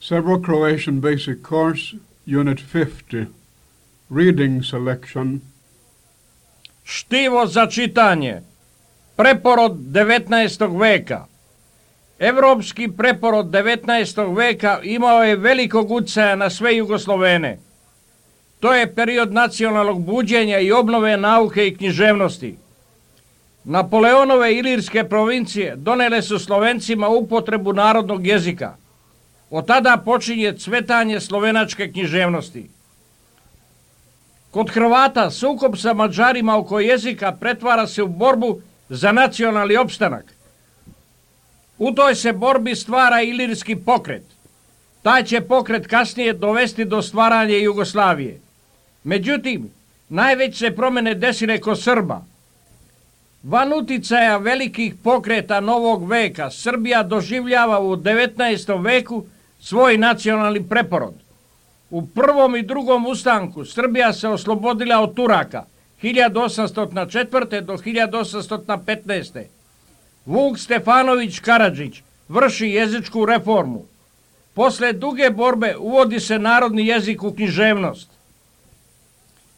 Several Croatian Basic Course, Unit 50, Reading Selection. Štivo za čitanje. Preporod 19. veka. Evropski preporod 19. veka imao je velikog utjecaja na sve Jugoslovene. To je period nacionalnog buđenja i obnove nauke i književnosti. Napoleonove ilirske provincije donele su Slovencima upotrebu narodnog jezika. Od tada počinje cvetanje slovenačke književnosti. Kod Hrvata sukob sa Mađarima oko jezika pretvara se u borbu za nacionalni opstanak. U toj se borbi stvara ilirski pokret. Taj će pokret kasnije dovesti do stvaranja Jugoslavije. Međutim, najveće promjene desile kod Srba. Van uticaja velikih pokreta novog veka, Srbija doživljava u 19. veku svoj nacionalni preporod. U prvom i drugom ustanku Srbija se oslobodila od Turaka 1804. do 1815. Vuk Stefanović Karadžić vrši jezičku reformu. Posle duge borbe uvodi se narodni jezik u književnost.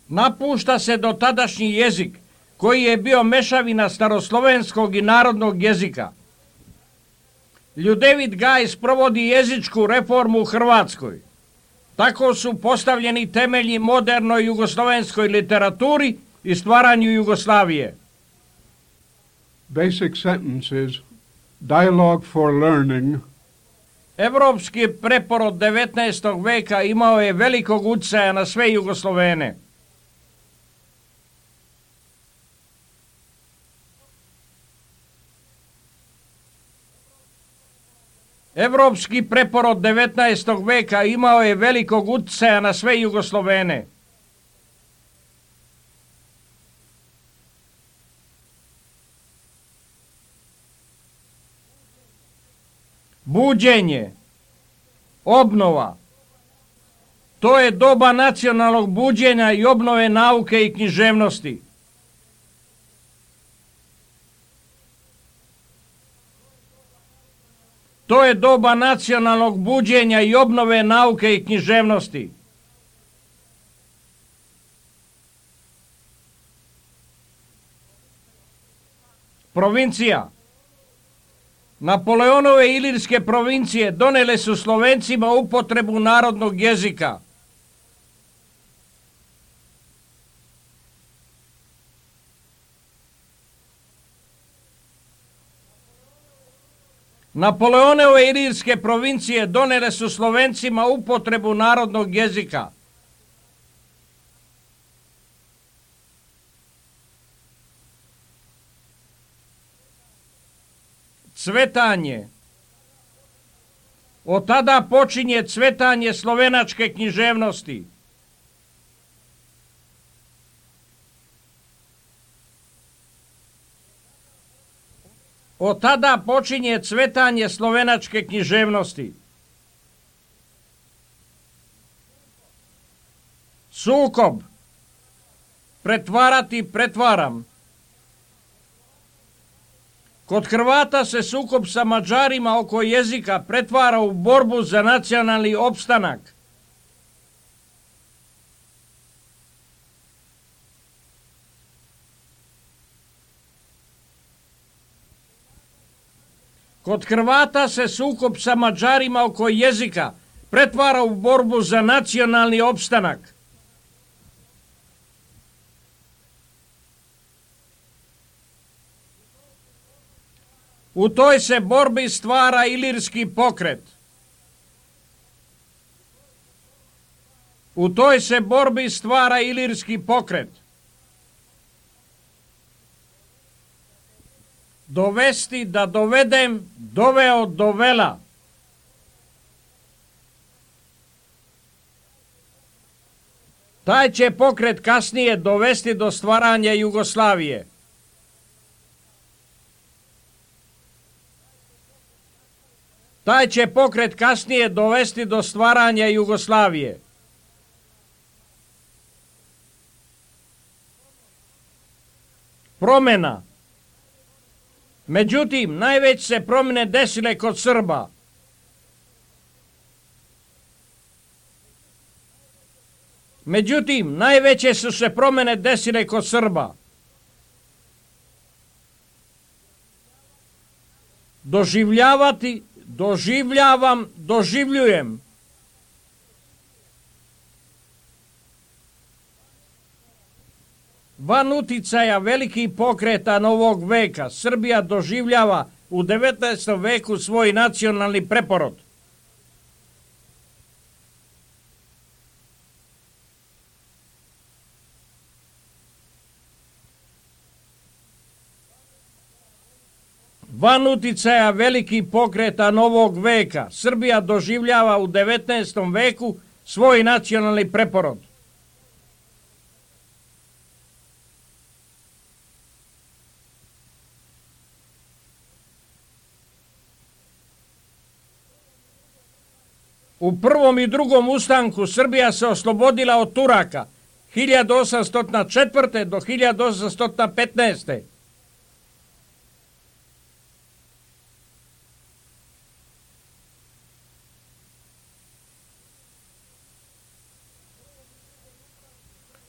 Napušta se dotadašnji jezik koji je bio mešavina staroslovenskog i narodnog jezika. Ljudevit Gaj sprovodi jezičku reformu u Hrvatskoj. Tako su postavljeni temelji modernoj jugoslovenskoj literaturi i stvaranju Jugoslavije. Basic sentences, Dialogue for Learning. Evropski preporod 19. veka imao je velikog utjecaja na sve Jugoslovene. Evropski preporod 19. veka imao je velikog utjecaja na sve Jugoslovene. Buđenje, obnova. To je doba nacionalnog buđenja i obnove nauke i književnosti. To je doba nacionalnog buđenja i obnove nauke i književnosti. Provincija. Napoleonove ilirske provincije donele su Slovencima upotrebu narodnog jezika. Napoleonove ilirske provincije donele su Slovencima upotrebu narodnog jezika. Cvetanje. Od tada počinje cvetanje slovenačke književnosti. Od tada počinje cvetanje slovenačke književnosti. Sukob. Pretvarati, pretvaram. Kod Hrvata se sukob sa Mađarima oko jezika pretvara u borbu za nacionalni opstanak. Kod Hrvata se sukob sa Mađarima oko jezika pretvara u borbu za nacionalni opstanak. U toj se borbi stvara ilirski pokret. U toj se borbi stvara ilirski pokret. Dovesti, da dovedem, doveo, dovela. Taj će pokret kasnije dovesti do stvaranja Jugoslavije. Taj će pokret kasnije dovesti do stvaranja Jugoslavije. Promjena. Međutim, najveće se promjene desile kod Srba. Međutim, najveće su se promjene desile kod Srba. Doživljavati, doživljavam, doživljujem. Van uticaja velikih pokreta novog veka, Srbija doživljava u 19. veku svoj nacionalni preporod. Van uticaja velikih pokreta novog veka, Srbija doživljava u 19. veku svoj nacionalni preporod. U prvom i drugom ustanku Srbija se oslobodila od Turaka 1804. do 1815.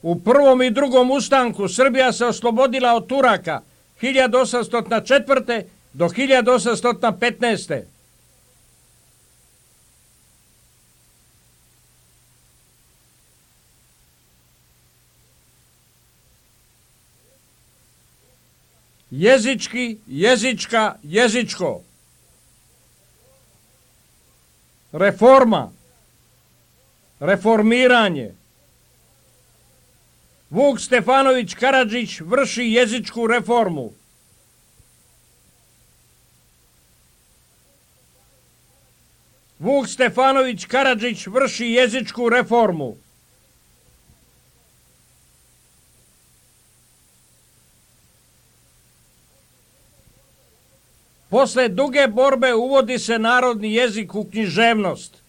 U prvom i drugom ustanku Srbija se oslobodila od Turaka 1804. do 1815. Jezički, jezička, jezičko. Reforma, reformiranje. Vuk Stefanović Karadžić vrši jezičku reformu. Vuk Stefanović Karadžić vrši jezičku reformu. Posle duge borbe uvodi se narodni jezik u književnost.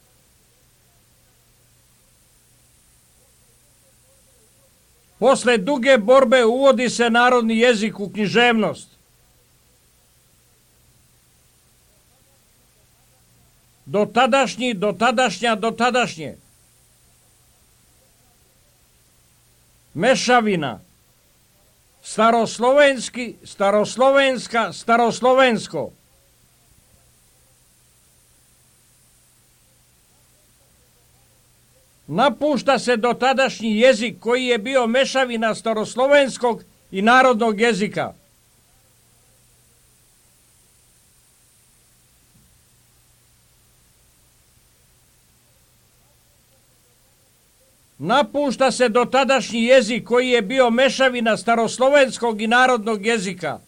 Posle duge borbe uvodi se narodni jezik u književnost. Dotadašnji, dotadašnja, dotadašnje. Mešavina. Staroslovenski, staroslovenska, staroslovensko. Napušta se dotadašnji jezik koji je bio mešavina staroslovenskog i narodnog jezika. Napušta se dotadašnji jezik koji je bio mešavina staroslovenskog i narodnog jezika.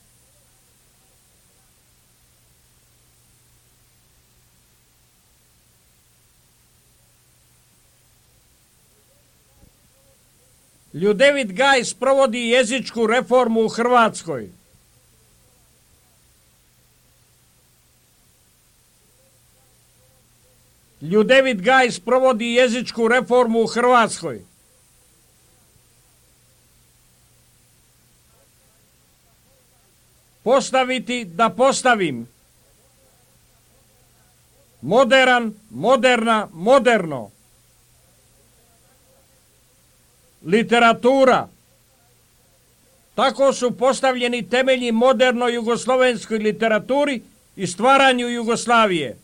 Ljudevit Gaj sprovodi jezičku reformu u Hrvatskoj. Ljudevit Gaj sprovodi jezičku reformu u Hrvatskoj. Postaviti da postavim. Moderan, moderna, moderno. Literatura. Tako su postavljeni temelji modernoj jugoslovenskoj literaturi i stvaranju Jugoslavije.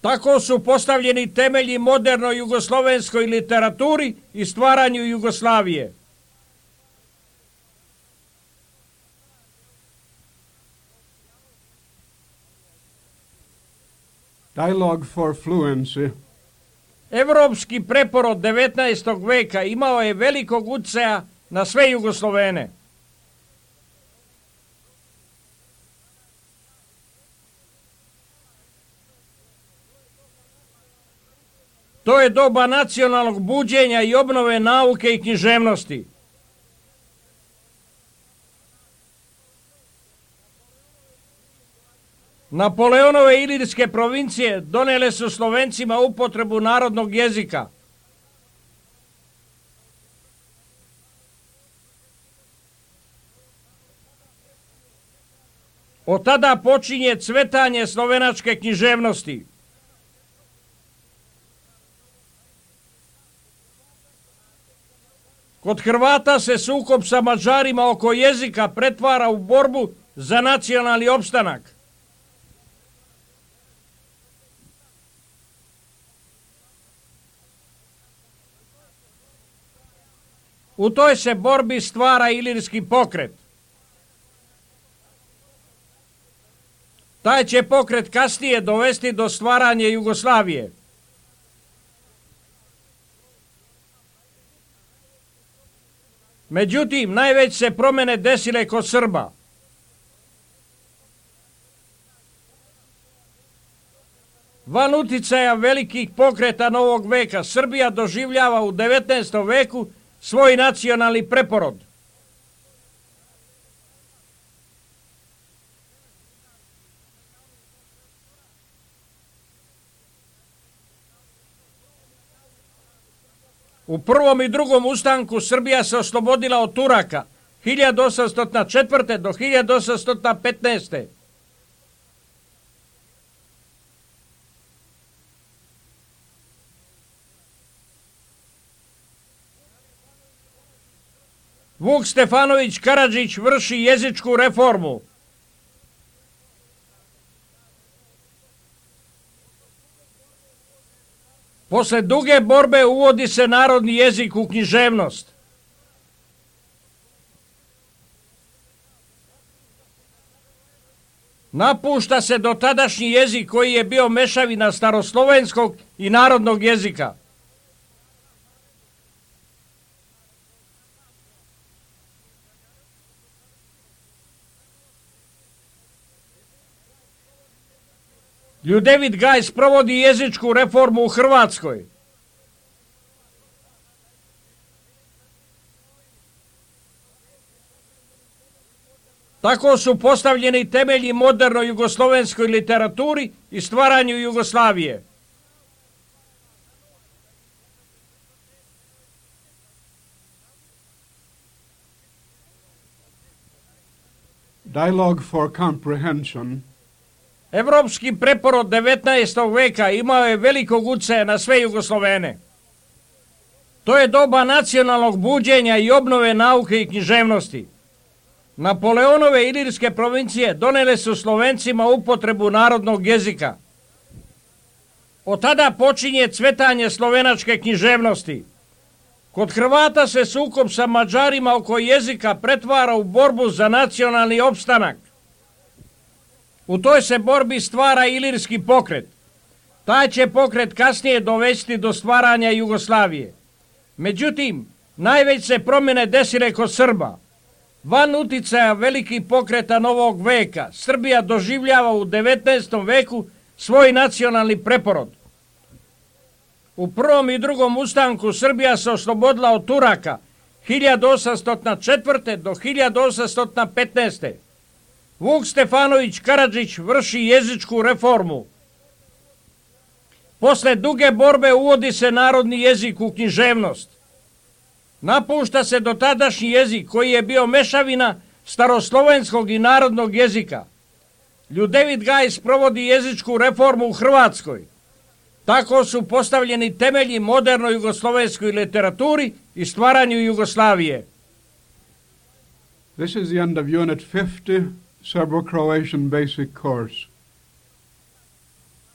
Tako su postavljeni temelji modernoj jugoslovenskoj literaturi i stvaranju Jugoslavije. Dialogue for Fluency. Evropski preporod 19. veka imao je velikog utjecaja na sve Jugoslovene. To je doba nacionalnog buđenja i obnove nauke i književnosti. Napoleonove ilirske provincije donijele su Slovencima upotrebu narodnog jezika. Od tada počinje cvetanje slovenačke književnosti. Kod Hrvata se sukob sa Mađarima oko jezika pretvara u borbu za nacionalni opstanak. U toj se borbi stvara ilirski pokret. Taj će pokret kasnije dovesti do stvaranja Jugoslavije. Međutim, najveće se promjene desile kod Srba. Van uticaja velikih pokreta novog veka, Srbija doživljava u 19. veku svoj nacionalni preporod. U prvom i drugom ustanku Srbija se oslobodila od Turaka 1804. do 1815. Vuk Stefanović Karadžić vrši jezičku reformu. Posle duge borbe uvodi se narodni jezik u književnost. Napušta se dotadašnji jezik koji je bio mešavina staroslovenskog i narodnog jezika. Ljudevit Gaj sprovodi jezičku reformu u Hrvatskoj. Tako su postavljeni temelji modernoj jugoslovenskoj literaturi i stvaranju Jugoslavije. Dialogue for Comprehension. Evropski preporod 19. veka imao je velikog uticaja na sve Jugoslovene. To je doba nacionalnog buđenja i obnove nauke i književnosti. Napoleonove ilirske provincije donele su Slovencima upotrebu narodnog jezika. Od tada počinje cvetanje slovenačke književnosti. Kod Hrvata se sukob sa Mađarima oko jezika pretvara u borbu za nacionalni opstanak. U toj se borbi stvara ilirski pokret. Taj će pokret kasnije dovesti do stvaranja Jugoslavije. Međutim, najveće se promjene desile kod Srba. Van uticaja velikih pokreta novog veka, Srbija doživljava u 19. veku svoj nacionalni preporod. U prvom i drugom ustanku Srbija se oslobodila od Turaka 1804. do 1815. Vuk Stefanović Karadžić vrši jezičku reformu. Posle duge borbe uvodi se narodni jezik u književnost. Napušta se dotadašnji jezik koji je bio mešavina staroslovenskog i narodnog jezika. Ljudevit Gaj sprovodi jezičku reformu u Hrvatskoj. Tako su postavljeni temelji modernoj jugoslovenskoj literaturi i stvaranju Jugoslavije. This is the end of Unit 50, Serbo-Croatian Basic Course.